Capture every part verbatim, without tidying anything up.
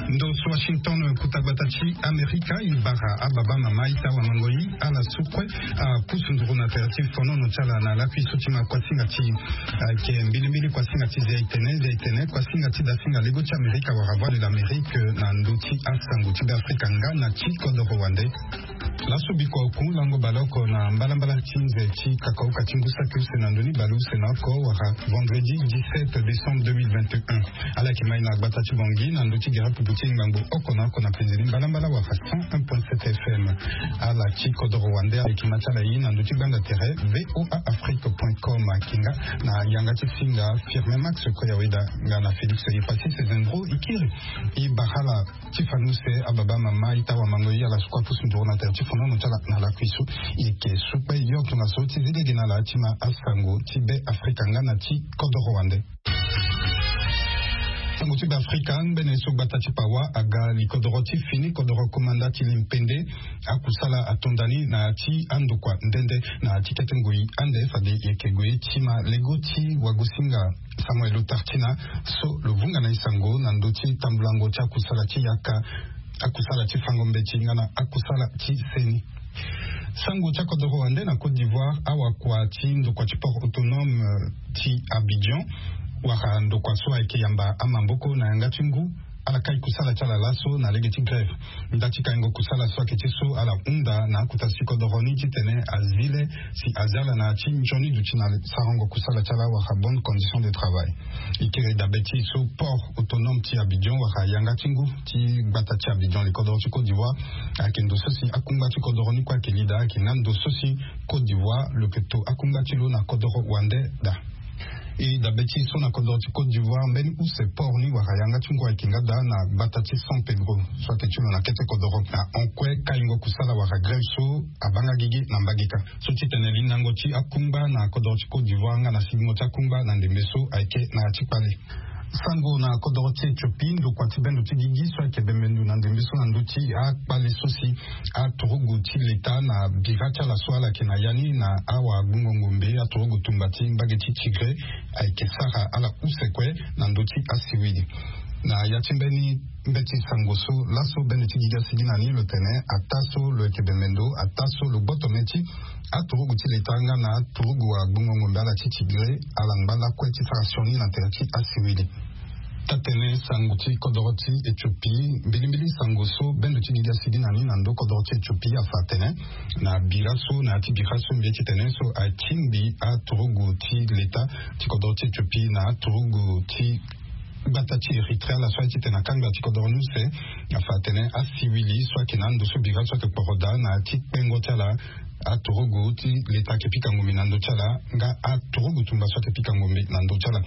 Ndo so Washington, kota gbata ti Amerika, e bara ababa, mama, ita, wamango, ala so kue apusu nduru na tere ti fonono ti ala na lakui so ti ma kuasinga ti, ah, ke mbilimbili kuasinga ti zia itene, zia itene, kuasinga ti dasinga lego ti Amerika wala Voix de l'Amérique na ndö ti asango ti Beafrika nga na ti kodoro wande. Laso bikua oku lango baleoko na mbalambala ti nze ti kakauka ti ngu saki use na ndö ni baleuse na oko wala vendredi dix-sept décembre deux mille vingt et un. Ala yeke ma e na gbata ti Bangui na ndö ti gere pupu ti ngbangbo oko na oko na penze ni mbalambala wala cent un point sept F M. Ala ti kodoro wande, ala yeke ma ti ala e na ndö ti gbanda tere V O A Afrique point com. Ayeke nga na yanga ti singa Firmin Max Koyaweda nga na Félix Yepassi Sezendro Ikiri. E bara ala ti fani use ababa, mama, ita, wamango, ala so kue apusu nduru na tere ti fonono ti ala na lakui so. E yeke su kpe yo tongaso ti zi lege na ala ti ma asango ti Beafrika nga na ti kodoro wande. Sango ti Beafrika, ngbene so gbata ti Pawa aga li kodoro ti fini kodoro komanda ti Limpende, akusala ato ndani na ya ti andokua nde nde na ti kete ngoi ande, fade e yeke gue ti ma lego ti wagosinga Samuel Otartina so lo vunga na e sango na ndö ti tambulango ti akusala ti yaka, akusala ti fango mbeti nga na akusala ti seni. Sango ti akodoro wande na Côte d'Ivoire, awakua ti ndokua ti port autonome, euh, ti Abidjan, wala ndokua so ayeke yamba amaboko na yanga ti ngu, ala kai kusala ti ala laso na lege ti grève. Nda ti kaingo kusala so ayeke ti so ala hunda na akota ti kodoro ni titene azi le si azi ala na ya ti nzoni duti na sarango kusala ti ala wala bonne condition de travail. E kiri dabe ti so port autonome ti Abidjan wala yanga ti ngu ti gbata ti Abidjan, li kodoro ti Côte d'Ivoire, ayeke ndo so si akungba ti kodoro ni kue ayeke li daa, ayeke nga ndo so si Côte d'Ivoire lo yeke to akungba ti lo na kodoro wande daa. E dabe ti so na kodoro ti Côte d'Ivoire, mbeni use port ni wala yanga ti ngu ayeke nga daa na gbata ti San Pedro so ayeke ti lo na kete kodoro. Na hon kue kaingo kusala wala grève so abaa nga gigi na mbageka. So titene lindango ti akungba na kodoro ti Côte d'Ivoire nga na sigingo ti akungba na ndembe so ayeke na ya ti kpale. Sango na kodoro ti Éthiopie, ndokua ti bendo ti gigi so ayeke bembendu na ndembe so na ndö ti akpale so si aturugu ti leta na bira ti ala so ala yeke na ya ni na awagbungo ngombe aturugu tumba ti mbage ti Tigré ayeke sara ala use kue na ndö ti asiwili. Na ya ti mbeni mbeti sango so laso bendo ti gigi asigi na ni lo tene ataa so lo yeke bembe ndo, ataa so lo gboto meti, aturugu ti leta nga na aturugu agbungo ngombe ala ti Tigré ala ngba lakue ti sara sioni na tere ti asiwili. Taa-tënë sango ti kodoro ti Éthiopie, mbilimbili sango so bendo ti gigi asigi na ni na ndö kodoro ti Éthiopie afa atene na bira so na ya ti bira so mbi ye titene so atingbi aturugu ti leta ti kodoro ti Éthiopie na aturugu ti gbata ti Erythrée ala so aye titene akangba ti kodoro ni use, afa atene asiwili so ayeke na ando so bira so ayeke kporo daa na ya ti kpengo ti ala, aturugu ti leta ayeke pika ngombe na ndö ti ala nga aturugu tumba so ayeke pika ngombe na ndö ti ala.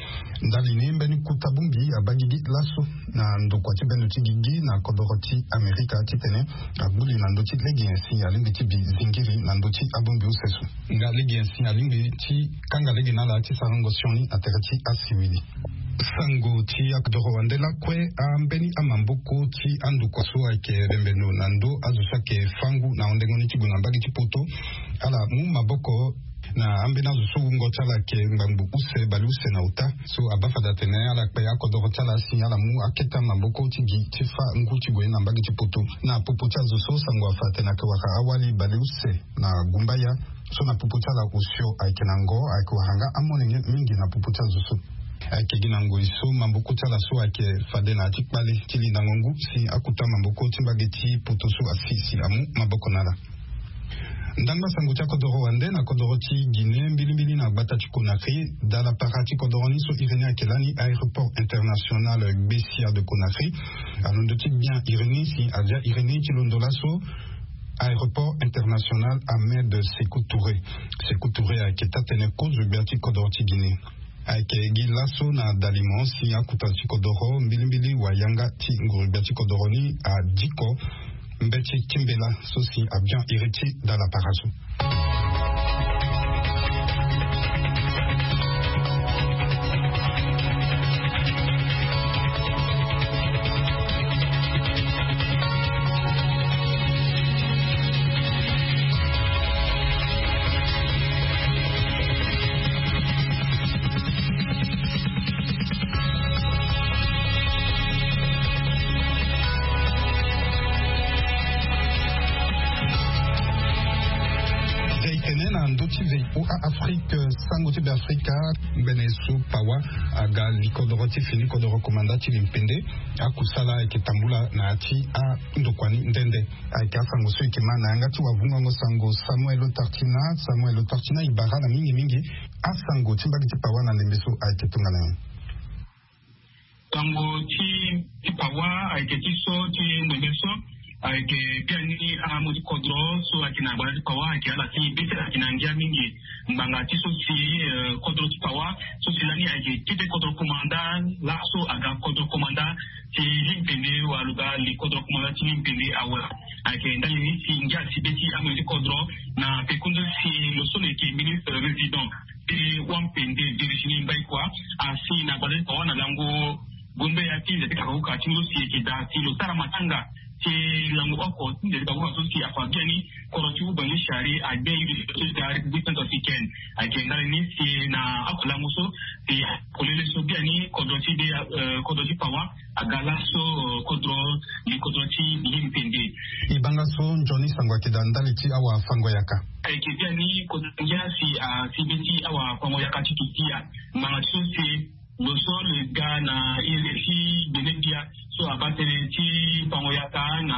Ndali ni mbeni kota bongbi abaa gigi laso na ndokua ti bendo ti gigi na kodoro ti Amerika titene agbu li na ndö ti lege nyen si alingbi ti bi zingiri na ndö ti abongbi use so. Nga lege nyen si alingbi ti kanga lege na ala ti sarango sioni na tere ti asiwili. Sango ti akodoro wande lakue, ambeni amaboko ti andokua so ayeke bembe ndo na ndö azo so ayeke fâ ngu na hondengo ni ti gue na mbage ti poto, ala mu maboko na ambeni azo so wungo ti ala ayeke ngbangbo use baleuse na ota. So abaa fade atene ala kpe akodoro ti ala si ala mu akete amaboko ti gi ti fâ ngu ti gue na mbage ti poto. Na popo ti azo so sango afa atene ayeke wara awali baleuse na gumbaya. So na popo ti ala osio ayeke na ngo, ayeke wara nga amonenge mingi na popo ti azo so. Ayeke gi na ngoi so maboko ti ala so ayeke fade na ya ti kpale ti lindango ngu si akota maboko ti mbage ti poto so asi si amu maboko na ala. Ndangba sango ti akodoro wande na kodoro ti Guinée, mbilimbili na gbata ti Conakry, dalapara ti kodoro ni so iri ni ayeke lani aéroport international Gbessia de Conakry, alondo ti gbia iri ni si avia iri ni ti londo laso aéroport international Ahmed Sékou Touré. Sékou Touré ayeke taa-tënë kozo gbia ti kodoro ti Guinée. Ayeke gi laso na dalimo si akota ti kodoro mbilimbili wayanga ti nguru-gbia ti kodoro ni adiko mbeti ti mbela so si abian iri ti dalapara so. Sango ti Beafrika, mbene so pawa aga li kodoro ti fini kodoro komanda ti limpende. Akusala ayeke tambula na ya ti andokua ni nde nde. Ayeke asango so eke ma na yanga ti wavungango sango Samuel Otartina. Samuel Otartina, e bara na mingi mingi asango ti mbage ti pawa na ndembe so ayeke tongana nyen? Sango ti ti pawa ayeke ti so ti ndembe so ayeke biani amu ti kodro so ayeke na gbata ti pawa ayeke ala ti bete ayeke na ngia mingi. Ngbanga ti so si eh, kodro ti pawa so si lani ayeke kete kodro komanda laso aga kodro komanda ti limpende wala lo ga li kodro komanda ti limpende awe. Ayeke ndali ni si ngia si be ti amu ti kodro na pekundu si lo so lo yeke ministre résident ti wampende Virginie Mbaikua asi na gbata ti pawa na lango gombe ya ti nze ti kakuka ti nzo si eke daa si lo sara matanga ti lango oko ti nze ti kakuka so si afa biani kodro ti ubangi chari agbe iri ti da République centrafricaine. Ayeke ndali ni si na oko lango so si kolele so biani kodro ti be eh, kodro ti pawa aga laso eh, kodro li kodro ti limpende. E banga so nzoni sango ayeke daa ndali ti awafango-yaka. Ayeke biani kodro ngia si asi be ti awafango-yaka ti Turquia. Ngbanga ti so si lo so lo ga na iri ti gbene bia so abaa tënë ti fango-yaka na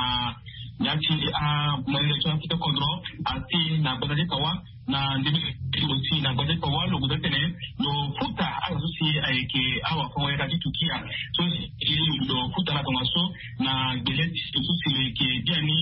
ya ti amolenge ti akete kodro asi na gbata ti pawa na ndembe lo si na gbata ti pawa lo gue ti tene lo futa ala so si ayeke awafango-yaka ti Turquia so si lo futa ala tongaso na gbele ti lo so si lo yeke biani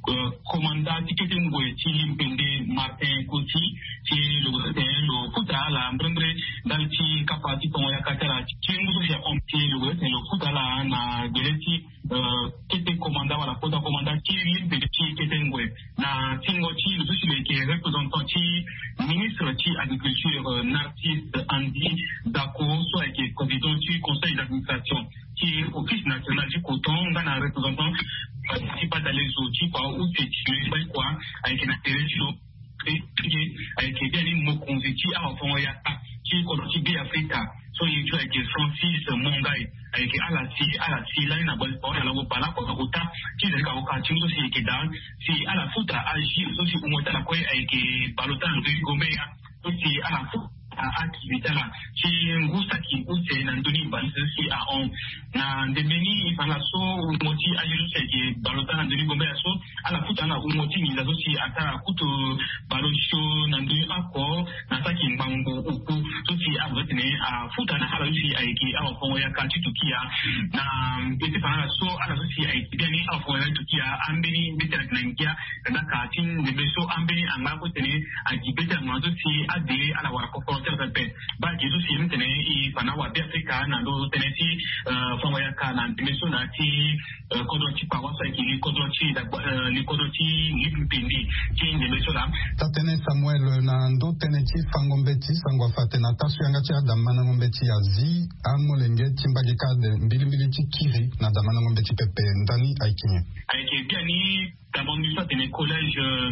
eh, komanda ti kete ngoi ti limpende Martin Koti ti lo gue ti tene lo futa ala mbrembre ndali ti kapa ti fango-yaka ti ala ti lengo so si ahon ti lo gue ti tene lo futa ala na gbele ti eh, kete komanda wala kota komanda ti limpende ti kete ngoi. Na tingo ti lo so si lo yeke représentant ti ministre ti agriculture eh, Narcisse Andy Dako so ayeke président ti conseil d'administration ti office national ti coton nga na représentant eh, ti badalezo ti pawa use ti lo ye mbai kua ayeke na tere ti lo. Ayeke biani mokonzi ti awafango-yaka ti kodro ti Be Afrika so ye ti ayeke Francis Mongai. Ayeke ala si ala si lani na gbali pawa na lango bale oko na kota ti zali ka oka ti so si yeke daa si ala futa azi so si wungo ti ala kue ayeke baleota na ndö ti gombeya so si ala futa akili ti ala ti ngu saki use na ndö ni baleota so si ahon. Na ndembe ni e fa na ala so wungo ti azi so si ayeke baleota na ndö ni gombeya so ala futa na wungo ti nginza so si asara kutu baleosio na ndö ni oko na saki ngbangbo oku so si azo ti tene afuta na ala so si ayeke awafango-yaka ti Turquia. Na e ti fa na ala so ala so si ayeke biani awafango-yaka ti Turquia ambeni mbeti ala yeke na ngia. Kandaka ti ndembe so ambeni angba kue ti tene ayeke beti ala ngbanga so si ade ala wara koforo ti ala pepe. Baa gi so si mbi tene e fa na awabe afrika na ndö tënë ti eh, fango-yaka na ndembe so na ya ti eh, kodro ti pawa so ayeke li kodro ti dagba eh, li kodro ti limpende ti ndembe so laa. Taa-tënë Samuel, na ndö tënë ti fango mbeti sango afa atene na taa so yanga ti adamandango mbeti azi amolenge ti mbage kade mbilimbili ti kiri na adamandango mbeti pepe ndani ayeke nyen? Ayeke biani damandango so atene collège eh,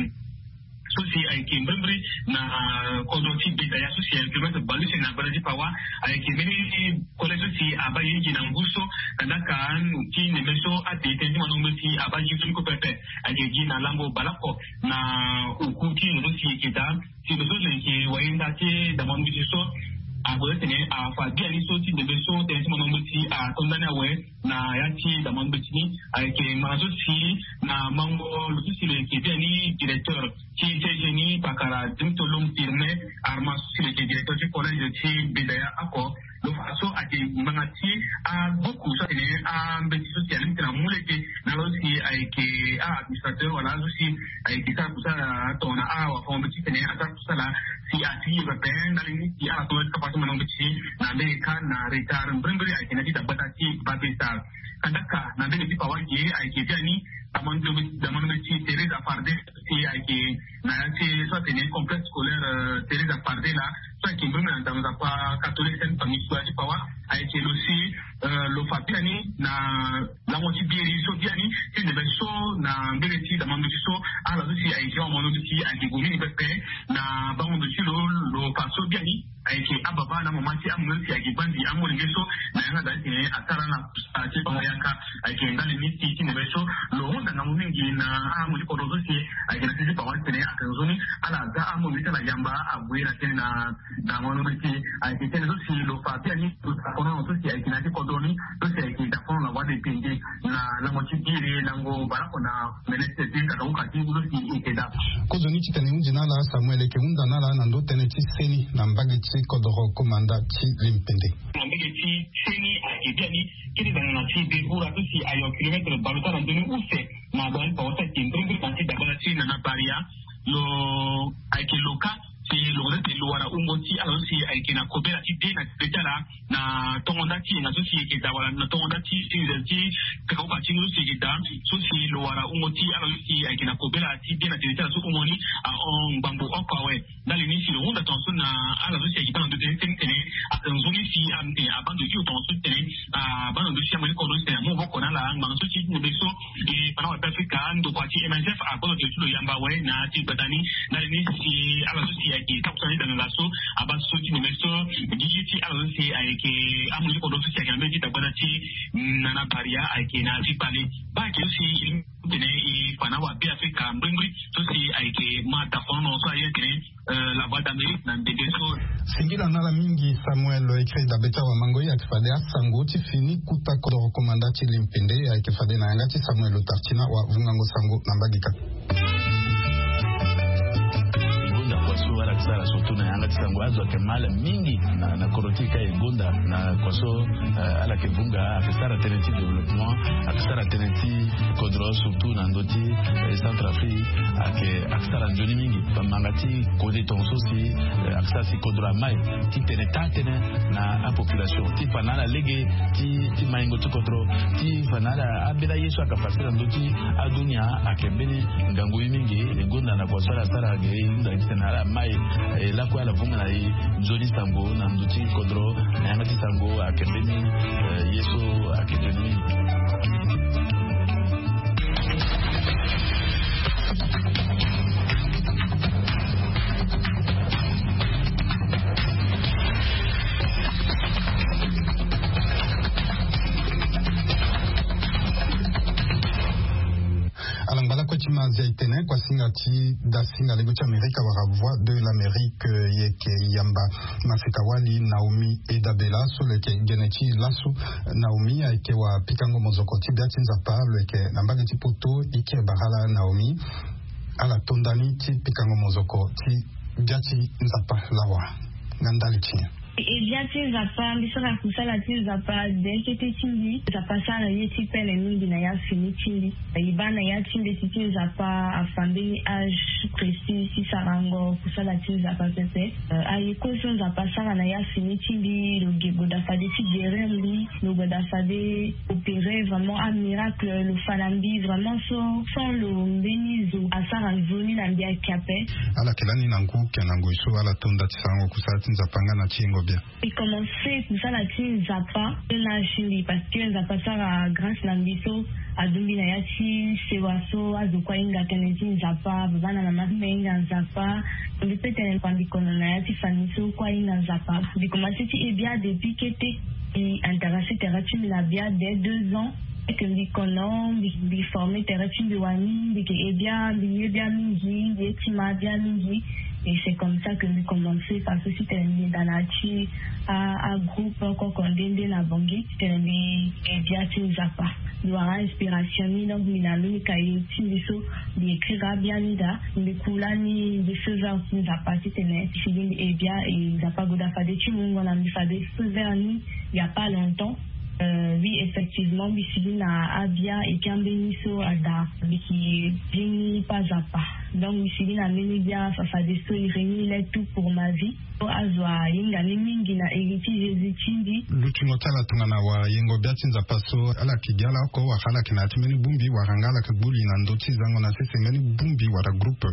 so si ayeke mbrimbri na eh, kodro ti beta ya so si ayeke maitre balu si na gbata ti pawa. Ayeke mbeni collège so si abaa ye gi na ngu so kandaka ti ndembe so ate tënë ti mandango mbeti abaa gi so ni kue pepe. Ayeke gi na lango baleoko na oku ti lo so si eke daa si lo so lo yeke wayenda ti damandango mbeti so ague ti tene afa biani so ti ndembe so tënë ti mandango mbeti ato ndani awe. Na ya ti damandango mbeti ni ayeke ngbanga so si na mango lo so si lo yeke biani directeur ti ti geni pakara dimtolom firme arma so si lo yeke directeur ti collège ti bedaya oko. Lo fa so ayeke ngbanga ti agbuku so atene ambeti so si alingbi tene amu lege na lo si ayeke a-administrateur wala azo si ayeke sara kusala tongana awafango mbeti tene asara kusala si asigi pepe ndali ni si ala so ti kapa ti mandango mbeti na mbege kâ na retard mbrimbri ayeke na ti dagbata ti babesar. Kandaka na mbege ti pawa ge ayeke biani damandango mbeti theresa farde si ayeke na ya ti so atene complexe scolaire theresa farde laa so ayeke mbrimbri na nzapa catholique sainte famille so ya ti pawa. Ayeke lo si lo fa biani na lango ti biri so biani ti ndembe so na mbege ti damandango mbeti so ala so si ayeke awamandango mbeti ayeke gue mingi pepe na bango ndo ti lo. Lo fa so biani ayeke ababa na amama ti amolenge so si ayeke bandi amolenge so na yanga daa ti tene asara na kusala ti bango yaka. Ayeke ndali ni si ti neme so lo hunda ngangu mingi na ahamoli kodro so si ayeke na ti ti pawa ti tene ayeke nzoni ala za ahamoli ti ala yamba ague na tënë na na mo longbi ti ayeke tënë so si lo fa biani lo dakono so si ayeke na ti kodro ni so si ayeke dakono na wade pende na lango ti biri lango baleoko na mene ti tene ti kaka uka ti ngu so si eke daa. Kozoni titene e hunzi na ala Samuel eke hunda na ala na ndo tënë ti seni na mbage ti kodro komanda ti limpende. Na mbage ti seni ayeke biani kiri dana na ti de ura so si ayo kilometre baleota na ndoni use na dana ti pawa so ayeke mbirimbiri na ti dagbana ti nana baria lo ayeke lo ka si lo ko tete lo wara wungo ti ala so si ayeke na kobela ti de na tene ti ala na tongo nda ti yenga so si eke daa wala na tongo nda ti ti kakaoka ti ngu so si eke daa so si lo wara wungo ti ala so si ayeke na kobela ti de na tene ti ala so wungo ni ahon ngbambo oko awe. Ndali ni si lo hunda tongaso na ala so si ayeke baa na ndo tene ti tene ayeke nzoni si atene abaa ndo ti lo tongaso ti tene abaa na ndo ti amaniko ndo ti tene amu maboko na ala ngbanga so si ti nebe so e fa na wa be afrika ndokua ti M S F akozo tene ti lo yamba awe na ti gbata ni. Ndali ni si ala so si ayeke takusana ti danganga so abaa so ti neme so gigi ti ala so si ayeke amu ti kodro so si ayeke na mbeni ti dagbata ti nana baria ayeke na ti kpale baa ayeke so si tene e fa na wa be afrika mbirimbiri so si ayeke ma dakono so aye tene la voix d'Amérique na ndende so. Singila na ala mingi Samuel. Écrit dabe ti awa mango ye ayeke fade asango ti fini kuta kodoro komanda ti limpende ayeke fade na yanga ti Samuel lo tartina wa vungango sango na mbage kâ. Gonda kua so ala yeke sara surtout na yanga ti sango azo ayeke mal mingi na kodro ti e kâ e gonda na kua so ala yeke vunga ayeke sara tënë ti développement ayeke sara tënë ti kodro surtout na ndö ti centre afrique ayeke ayeke sara nzoni mingi. Bamanga ti kode tongaso si ayeke sara si kodro amai ti tene taa tënë na apopulation ti fa na ala lege ti maingo ti kodro ti fa na ala ambeni aye so ayeke pase na ndö ti adunia ayeke mbeni ngangu ye mingi. E gonda na kua so ala sara ge e hunda ti tene ala mai e lakue ala vunga na e nzoni sango na ndö ti kodro na yanga ti sango ayeke mbeni ye so ayeke nzoni mingi. Ala ngba lakue ti ma azia e tene kuasinga ti dasinga lego ti amerika wala voix de l'amérique. Ye yeke yamba maseka wali naomi edabela so lo yeke gene ti laso. Naomi ayeke wa pikango mozoko ti bia ti nzapa lo yeke na mbage ti poto e kiri bara ala naomi. Ala to ndani ti pikango mozoko ti bia ti nzapa lawa na ndali ti nyen? E bia ti nzapa mbi sara kusala ti nzapa de kete ti mbi nzapa asara ye ti pele mingi na ya fini ti mbi. E baa na ya ti mbeti ti nzapa afa mbeni âge précis ti sarango kusala ti nzapa pepe. Aye kue so nzapa asara na ya fini ti mbi lo ge goda fade ti guérir mbi lo goda fade opérer vraiment amiracle lo fa na mbi vraiment so sans lo mbeni zo asara nzoni na mbi ayeke ape. Ala yeke lani na ngu ke na ngoi so ala to nda ti sarango kusala ti nzapa nga na ti yengo bia. Mbi commence kusala ti nzapa na âge ti mbi parce que nzapa asara grâce na mbi so aduti mbi na ya ti sewa so azo kue ahinga tënë ti nzapa baba na mama ti mbi ahinga nzapa. Mbi pe tene mbi kono na ya ti famille so kue ahinga nzapa. Mbi commence ti e bia depuis kete. Mbi intéressé tere ti mbi na bia dès deux ans. Eke mbi kono mbi forme tere ti mbi wani mbi ke e bia mbi ye bia mingi mbi ye ti ma bia mingi. Et c'est comme ça que mbi commence façon ti tene mbi yeda na ya ti agroupe oko oko nde nde na bongi ti tene mbi e bia ti nzapa. Mbi wara inspiration ni donc mbi na mbeni kaye ti mbi so mbi écrire abia ni daa. Mbi ku lani mbi feu vert ti nzapa ti tene si mbi e bia e nzapa agoda fade ti mungo na mbi fade feu vert ni. Il y a pas longtemps. Oui effectivement mbi sigi na abia eke ambeni so ada mbi ki bini pa zapa. Donc mbi sigi na mbeni bia fafade so iri ni il est tout pour ma vie. So azo ahinga ni mingi na iri ti jésus ti mbi. Lutingo ti ala tongana wara yengo bia ti nzapa so ala yeke gi ala oko wala ala yeke na ya ti mbeni bongbi wala nga ala yeke gbuli na ndö ti zango na sese mbeni bongbi wala groupe.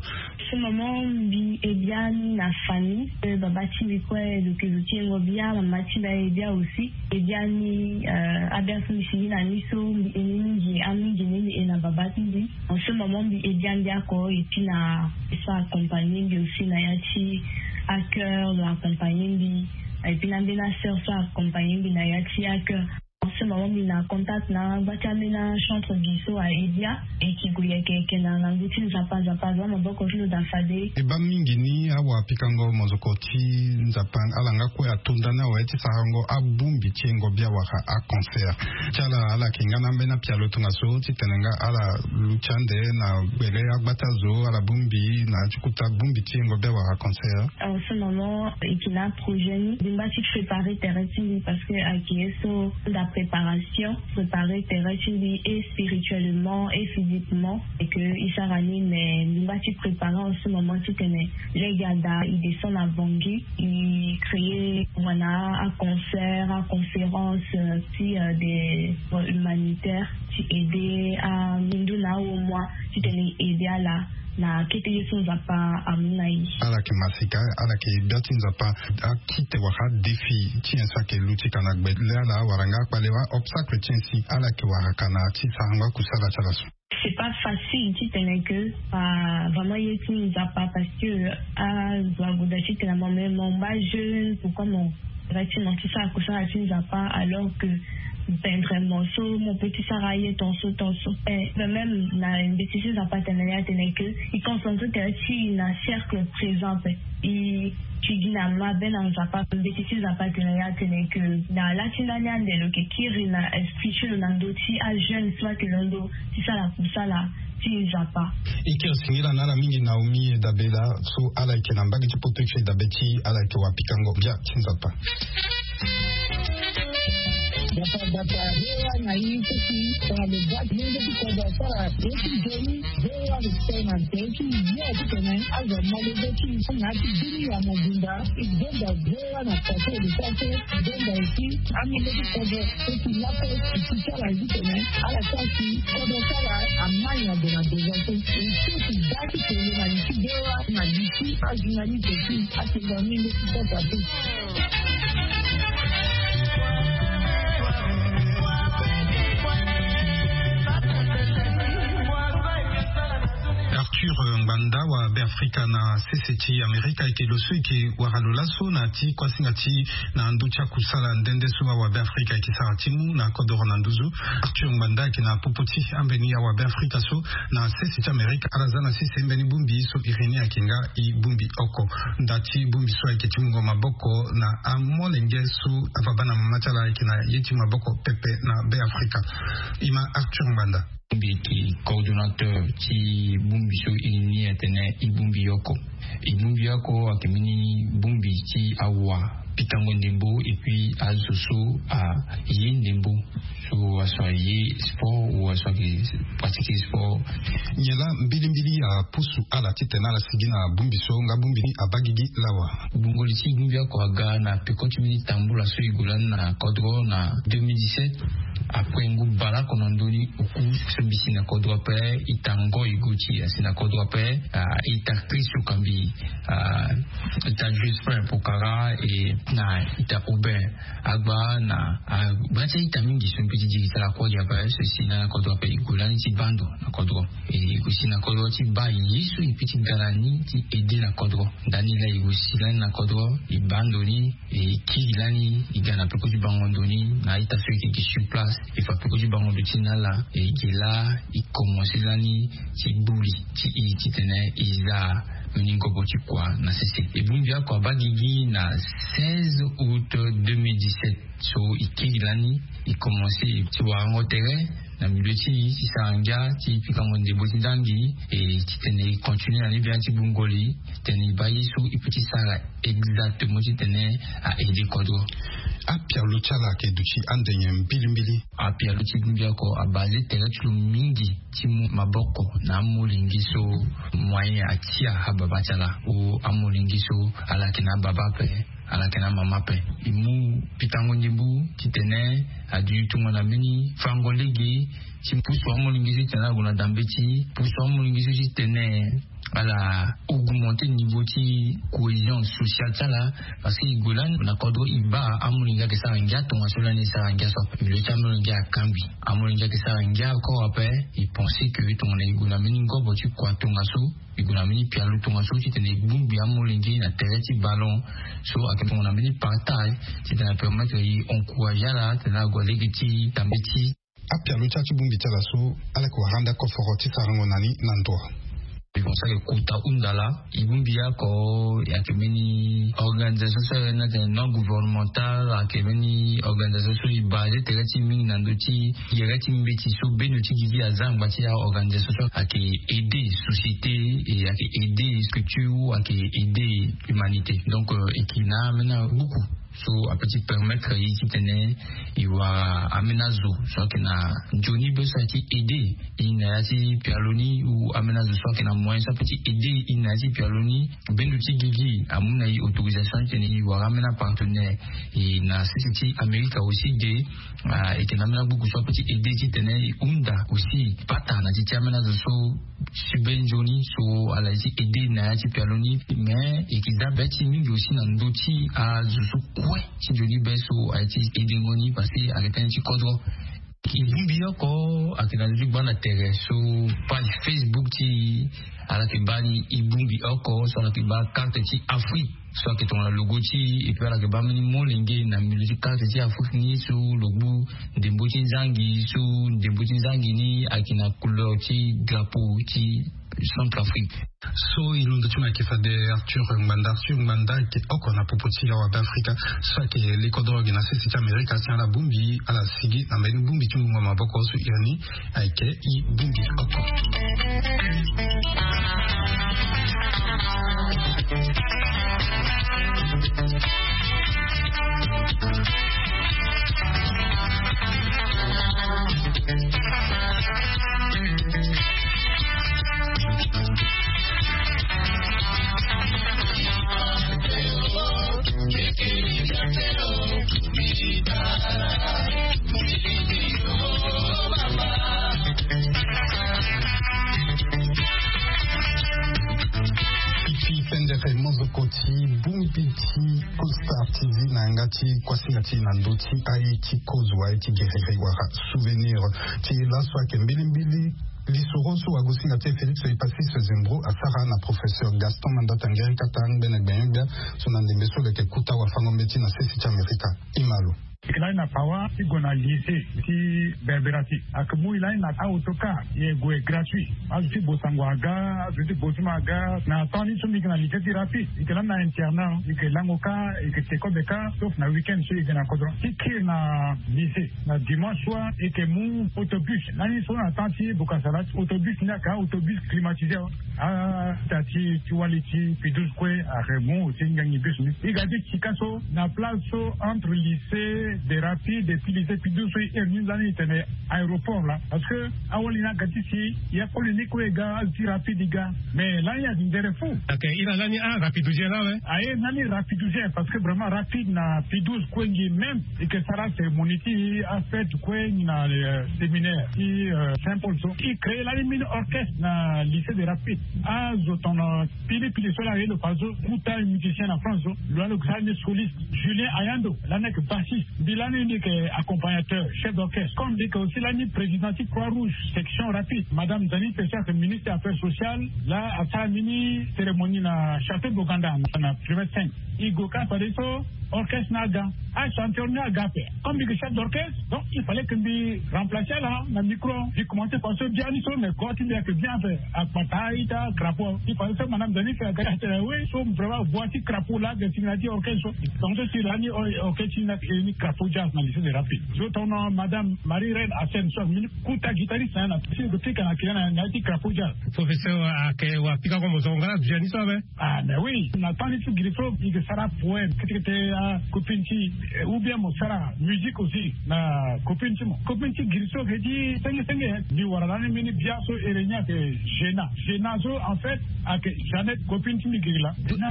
Ce moment mbi e bia ni na famille pe baba ti mbi kue lo ke zo ti yengo bia mama ti mbi aye bia aussi. E bia ni abia so mbi sigi na ni so mbi e ni mingi amingi ni mbi e na baba ti mbi. En ce moment mbi e bia mbi ako et puis Na so accompagner mbi aussi na ya ti accueil, accompagner mbi. Et puis na mbeni asœur so accompagner mbi na ya ti accueil. En ce moment mbi na contact na gba ti ambeni achantre gi so a Edia. E ki gue yeke yeke na ngu ti Nzapa. Nzapa aza maboko ti lo daa fade. E baa mingi ni awapikango mozoko ti Nzapa ala nga kue ato nda ni awe ti sarango abongbi ti yengo bia wala acancer. Ti ala ala yeke nga na ambeni apialo tongaso titene nga ala luti ande na gbele agbata zo ala bongbi na ti kota bongbi ti yengo bia wala acancer. En ce moment e ki na aprojet ni mbi ngba ti préparer tere ti mbi parce que ayeke ye so nda préparation, préparer tere ti mbi et spirituellement et physiquement. Et que e sara ni mais mbi ngba ti préparer en ce moment titene lege ada e descend na Bangui, e créer wala aconcert, aconférence ti des humanitaires ti aider a minduna au moins titene e aider ala na kete ye so Nzapa amu na e. Ala yeke masika, ala yeke bia ti Nzapa. Akite wala adéfi ti nyen so ayeke luti ka na gbe le ala wala nga akpale wala obstacle ti nyen si ala yeke wara ka na ti sarango akusala ti ala so. C'est pas facile titene que vraiment ye ti Nzapa parce que azo ague daa titene mo me mo ngba jeune, pourquoi mo Effectivement ti sara kusala ti Nzapa alors que pendrement so mo pe ti sara aye tonso tonso. Eh, mais même na mbeti ti Nzapa atene ni atene que e concentre tere ti e na cercle présent pe e ti gi na mabe na Nzapa. Mbeti ti Nzapa atene ni atene que na la ti ndani ande lo yeke kiri na esprit ti lo na ndö ti ajeune so ayeke londo ti sara kusala ti Nzapa. E kiri singila na ala mingi Naomi Edabela so ala yeke na mbage ti poto ti Edabe ti ala yeke wapikango bia ti Nzapa. Bata bata hewa na i teti tongana lo bati lenge ti kodro asara ye ti nzoni. Hewa lo tene na nze ti ye titene azo amolenge ti i na ya ti bini ya mobimba. E donda hewa na poto lo sara so donda esi amolenge ti kodro. Eti lape eti ti ala zi tene ala sara si kodro ti ala amai na gue na devant so. Eti eti da ti tene na li ti hewa na li ti azinga ni teti. Atenga mingi ti kota ti. Arthur Ngbanda wa Beafrika na sese ti Amerika ayeke lo so e yeke wara lo laso na ti kuasinga ti na ndö ti akusala nde nde so awa Beafrika ayeke sara ti mu na kodoro na nduzu. Arthur Ngbanda ayeke na popo ti ambeni awa Beafrika so na sese ti Amerika. Ala za na sese mbeni bongbi so iri ni ayeke nga e bongbi oko. Nda ti bongbi so ayeke ti mungo maboko na amolenge so ababa na mama ti ala ayeke na ye ti maboko pepe na Beafrika. E ma Arthur Ngbanda. Mbi yeke coordonnateur ti bongbi so iri ni atene e bongbi oko. E bongbi oko ayeke mbeni bongbi ti awa pikango ndembo et puis azo so aye ndembo. So aso aye sport ou aso ayeke pratiquer sport. Nyen laa mbilimbili apusu ala titene ala sigi na bongbi so nga bongbi ni abaa gigi lawa? Gbungo li ti bongbi oko aga na peko ti mbeni tambula so e gue lani na kodro na deux mille dix-sept. Après ngu baleoko na ndö ni oku so mbi si na kodro ape, ita ngoi go ti asi na kodro ape. Ah, ita Chris Okambi, ah, ita Jospin Pokara et na ita Aubin Agba na, ah, gba ti a-ita mingi so mbi ti diri ti ala kue gi ape so e si lani na kodro ape e gue lani ti baa ndo na kodro. E gue si na kodro ti baa ye so e pe ti ga na ni ti ede na kodro. Ndani laa e gue si lani na kodro e baa ndo ni. E kiri lani e ga na peko ti bango ndo ni na a-ita so e yeke gi sur place. E fa peko ti bango ndo ti na ala e ge laa e komanse lani ti gbu li ti e titene e za mbeni ngobo ti kua na sese. E bongbi oko abaa gigi na seize août deux mille dix-sept. So e kiri lani e komanse ti warango tere na milieu ti e ti sara ngia ti pikango ndembo ti ndangi. E titene e continue na ni bia ti gbungo li titene e baa ye so e pe ti sara exactement titene a aide kodro. Apialo ti ala ayeke duti ande nyen mbilimbili? Apialo ti bongbi oko abaze tere ti lo mingi ti mu maboko na amolenge so moyen atia ababa ti ala. O amolenge so ala yeke na ababa ape, ala yeke na amama ape. E mu pikango ndembo titene aduti tongana mbeni fango lege ti pusu amolenge so titene ala gue na dambe ti pusu amolenge so titene ala augmenter niveau ti cohésion sociale ti ala. Parce que e gue lani na kodro e baa amolenge ayeke sara ngia tongaso lani e sara ngia so. Milieu ti amolenge akangbi. Amolenge ayeke sara ngia encore ape. E pense que tongana e gue na mbeni ngobo ti kua tongaso, e gue na mbeni pialo tongaso titene e bongbi amolenge na tere ti ballon. So ayeke tongana mbeni partage titene apermettre e encourager ala titene ague lege ti tambe ti apialo ti ala ti bongbi ti ala so. Ala yeke wara ande akoforo ti sarango na ni na ndo. E bongbi so ayeke kota hunda laa. E bongbi oko ayeke mbeni organisation so ayeke na tene non gouvernemental, ayeke mbeni organisation so e base tere ti mingi na ndö ti yere ti mbeti so bendo ti gigi aza angba ti aorganisation so ayeke aider société, e ayeke aider structure, ayeke aider humanité. Donc e yeke na ambeni abuku so ape ti permettre e titene e wara ambeni azo so ayeke na nzoni be so aye ti aider e na ya ti pialo ni, ou ambeni azo so ayeke na moyen so ape ti aider e na ya ti pialo ni. Bendo ti gigi amu na e autorisation titene e wara ambeni apartenaire. E na sese ti Amerika aussi de, e yeke na ambeni abuku so ape ti aider titene e hunda aussi pata na ti ti ambeni azo so si be nzoni so ala ye ti aider na ya ti pialo ni. Mais e yeke za be ti mingi aussi na ndö ti azo so kue ti nzoni be so aye ti aidengo ni parce que ayeke tënë ti kodro. E bongbi oko ayeke na ndö ti gbanda tere so page Facebook ti e ala yeke baa ni. E bongbi oko so ala yeke baa carte ti Afrique so ayeke tongana logo ti e, et puis ala yeke baa mbeni molenge na milieu ti carte ti Afrique ni so lo gbu ndembo ti nzangi so ndembo ti nzangi ni ayeke na couleur ti drapeau ti Centrafrique. So e londo ti mo ayeke fade Arthur Ngbanda. Arthur Ngbanda ayeke oko na popo ti awa Beafrika so ayeke li kodro gi na sese ti Amerika si ala bongbi ala sigi na mbeni bongbi ti ngbonga maboko so iri ni ayeke e bongbi oko. Ti pendere mozoko ti bongbi ti Cold Star T V na yanga ti kuasinga ti e na ndö ti aye ti kozo, aye ti gerere wala souvenir ti laso ayeke mbilimbili lisoro so wagosinga ti e Félix Epaphras Zembro asara na professeur Gaston Mandata Nguerie Kata ngbene gbene gbia so na ndembe so lo yeke kuta wafango-mbeti na sese ti Amerika. E ma lo. E yeke lani na Pawa ti gue na lycée ti Berberatie. Ayeke mu e lani na a-autocar, e gue gratuit. Azo ti Bosango aga, azo ti Bozuma aga. Na temps ni so mbi yeke na lycée ti Rapide, e yeke lani na internat, e yeke lango kâ, e yeke te kobe kâ, sauf na week-end so e yeke na kodro. Ti kiri na lycée na dimanche soir, e yeke mu autobus. Lani so na temps ti Bokassa Lac, autobus ni ayeke a-autobus climatisé. Ah, ita ti, ti wali ti P douze kue ayeke mu ti ngangi bus ni. E ga ti sika so na place so entre lycée des Rapides et puis lycée P douze so e iri ni lani e tene aéroport laa. Parce que awali ni aga ti si, ya koli ni kue e ga, azo ti Rapide e ga. Mais lani ayeke ndere fou. Ok, iri lani a-Rapidousien laa awe. Aye, lani Rapidousien, parce que vraiment Rapide na P douze kue ngi même. E yeke sara cérémonie ti afête kue ngi na, euh, séminaire ti, euh, Saint-Paul so. E créé lani mini orchestre na lycée des Rapides. Azo tongana pili pili so laa aye lo fa so, kuta musicien na France so. Lo laa lo yeke sara ni soliste. Julien Ayando lani ayeke bassiste. Mbi lani mbi yeke accompagnateur, chef d'orchestre. Comme mbi yeke aussi lani président ti Croix Rouge section Rapide. Madame Dany Tessoua ayeke ministre des affaires sociales. Laa asara mini cérémonie na château Boganda na kilomètre cinq. E gue kâ fadeso orchestre ni aga. Achanteur ni aga ape. Comme mbi yeke chef d'orchestre, donc il fallait que mbi remplacer ala na micro. Mbi commencer par so biani so, mais kua ti mbi ayeke bien ape. Akpata, ita, crapaud. Il fallait que madame Dany Tessoua aga ti atene oui so vraiment voix ti crapaud laa ayeke si na ya ti orchestre so. Donc so si lani orchestre ni ayeke ni crapaud jazz na lycée des Rapides. So tongana madame Marie Reine Assène so ayeke mini kuta guitariste na ya na si lo pika na kila na ya ti crapaud jazz. Professeur, ayeke wa pika ko mo zonga biani so ape. Ah, mais oui, na temps ni ti giri so, e yeke sara poème, kete kete, ah, copine ti, eh, ou bien mo sara musique aussi na copine ti mo. Copine ti giri so ayeke ti senge senge, eh. Mbi wara lani mbeni bia so ere ni ayeke Gena. Gena so, en fait, ayeke Jeannette, copine ti mbi giri laa. Gena,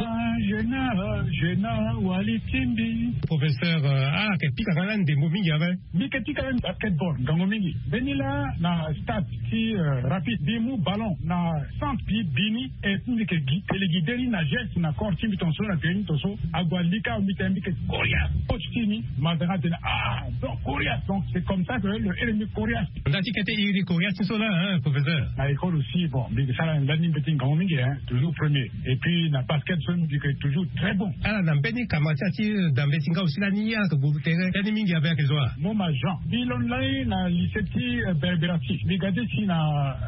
Gena, Gena, wali ti mbi. Professeur, euh, ah, Pika kala ndembo mingi ave. Mbi ke ti kala basketball ngangu mingi. Mbeni laa na stade ti rapide mbi mu ballon na centre ti bi ni. Et mbi ke gi tele gi de ni na geste na corps ti mbi tonso na tele ni tonso. Ague alika mbi tene mbi ke koria. Coach ti ni mazanga tene ah donc koria donc c'est comme ça que le ere mbi koria. Nda ti kete iri koria ti so laa hein professeur. Na école aussi bon mbi ke sara nda ni mbeti ngangu mingi hein toujours premier. Et puis na basket so mbi ke toujours très bon. Ala na mbeni kama ti ati dambe ti nga aussi lani ayeke guru tere teni mingi ave ayeke zo wa. Moma jean mbi londo lani na lycée ti berberatie mbi ga ti si na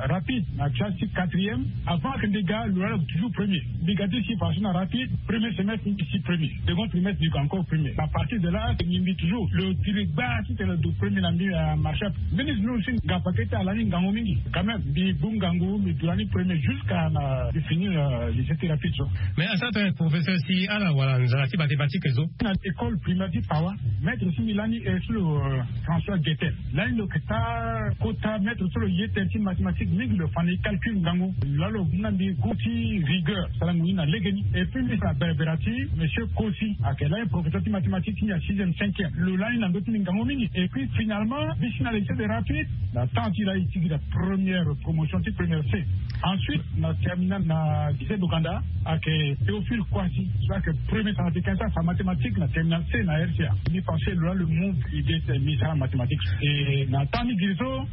rapide na classe ti quatrième. Avant que mbi ga lo lani toujours premier. Mbi ga ti si façon na rapide premier semestre mbi si premier. Second trimestre mbi ga encore premier à partir de là mbi mbi toujours lo tiri gba ti tene lo du premier na mbi. Marchap mbeni zulu si nga pakete ala ni ngangu mingi. Quand même mbi bu ngangu mbi du lani premier jusqu'à na mbi fini lycée ti rapide so. Mais asara tene professeur si ala wala nzala ti mathématique zo. Na école primaire ti pawa maître ti mbi lani e so lo françois guetel. Lani lo ke taa kota maître so lo ye tene ti mathématique mingi lo fa na e calcul ngangu. Lalo na mbi gu ti rigueur sara ngoni na legeni. Et puis mbi fa na berbera ti monsieur kosi ayeke lani professeur ti mathématique ti mbi ya sixième cinquième lo lani na ndö ti mbi ngangu mingi. Et puis finalement mbi si na lycée de rapide na temps ti lani ti gi na première promotion ti première c. Ensuite na terminale na lycée d'ouganda ayeke théophile koisi so ayeke premier scientifique ti afa mathématique na terminale c na rca. Mbi pensé lo la le monde idée ti mbi sara mathématique. Et na temps ni giri so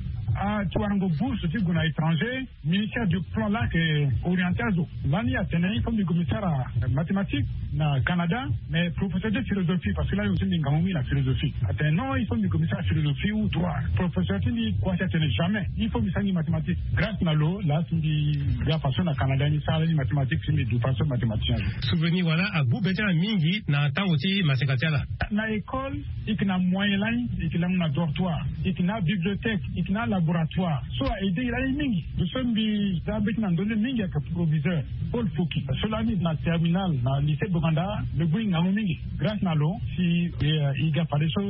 ti warango bourse ti gue na étranger ministère du plan laa ayeke orienté azo. Lani atene il faut mbi gue mbi sara mathématique na canada. Mais professeur ti philosophie parce que lani aussi mbi ngangu mingi na philosophie atene non il faut mbi gue mbi sara philosophie ou droit. Professeur ti mbi koisi atene jamais il faut mbi sara ni mathématique. Grâce na lo laa si mbi ga façon na canada ni sara ni mathématique si mbi du façon mathématicien. Souvenir wala agu be ti ala mingi na tango ti maseka ti ala. Na école e yeke na moyen lani e yeke langu na dortoir e yeke na bibliothèque e yeke na laboratoire so a aidé e lani mingi. Lo so mbi za be ti na ndö ni mingi ayeke proviseur paul foki so lani na terminale na lycée boganda. Lo bui ngangu mingi grâce na lo si e ga fadeso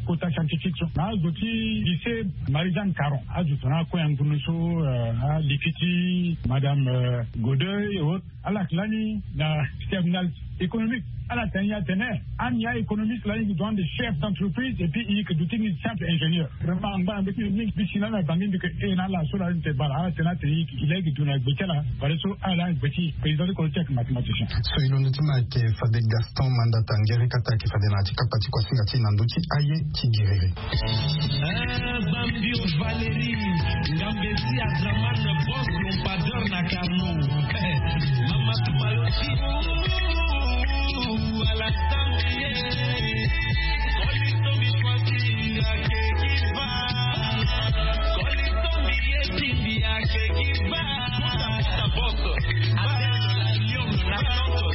kota scientifique so na azo ti lycée marie jeanne caron azo tongana akue ya ngundu so aliki ti madame godeuil et autres. Ala yeke lani na terminale économique ala tene ni atene ani aéconomiste lani gi doit de chef d'entreprise et puis i yeke duti ni simple ingénieur. Vraiment angba na mbi ti mbi mingi mbi si lani na bangi mbi yeke e na ala so lani te bala ala tene ni atene i yeke i laa i yeke du na gbe ti ala. Fadeso ala lani gbe ti président ti kolo ti ayeke mathématicien. So i londo ti ma ayeke fade gaston mandata ngeri kata ayeke fade na ya ti kapa ti kuasinga ti na ndö ti aye ti giriri. Bambio Valérie, Ngambezi Adraman, boss lampadeur na Carnot. Mama Tumaloti, Alassane, Kolito Mitwati, Akekiva, Kolito Miyetimbi, Akekiva, Boss, Abel, Lion, Natanto.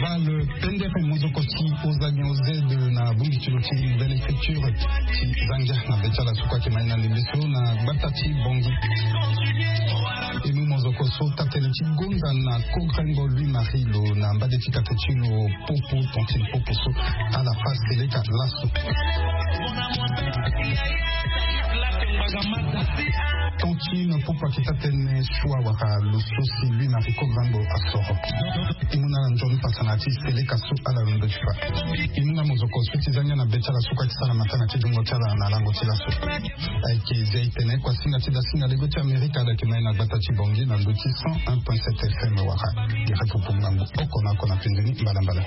Val pendere mozoko ti ozangi ozede na bongi ti lo ti nouvelle écriture ti zangia na be ti ala so kue ayeke mai na ndembe so na gbata ti bongi. E mu mozoko so tatene ti gonda na kogrengo louis marie lo na mbage ti kate ti lo popo tontine popo so ala fa seleka laso. Tontine popo ayeke tatene sua wala lo so si louis marie kogrengo asoro. E mu na ala nzoni pasa na ya ti seleka so ala londo ti fa. E mu na mozoko so ti zangia na be ti ala so kue ti sara matanga ti dungo ti ala na lango ti laso. Ayeke zia e tene kuasinga ti dasinga lego ti amerika ala yeke mai na gbata ti bongi na ndö ti cent un point sept fm wala. Gere pupu ngangu oko na oko na penze ni mbalambala.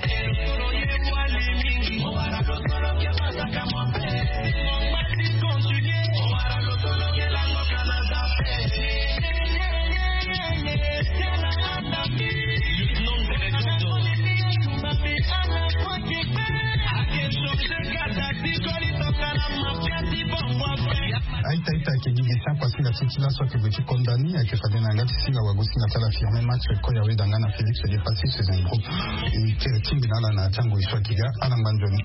Aita aita ayeke gi gi ti akuasinga ti ti laso ayeke gue ti konda ni ayeke fade na yanga ti singa wago singa ti ala firme match koya weda nga na félix de passi saison groupe. E kere tingbi na ala na ti ango e so ayeke ga ala ngba nzoni.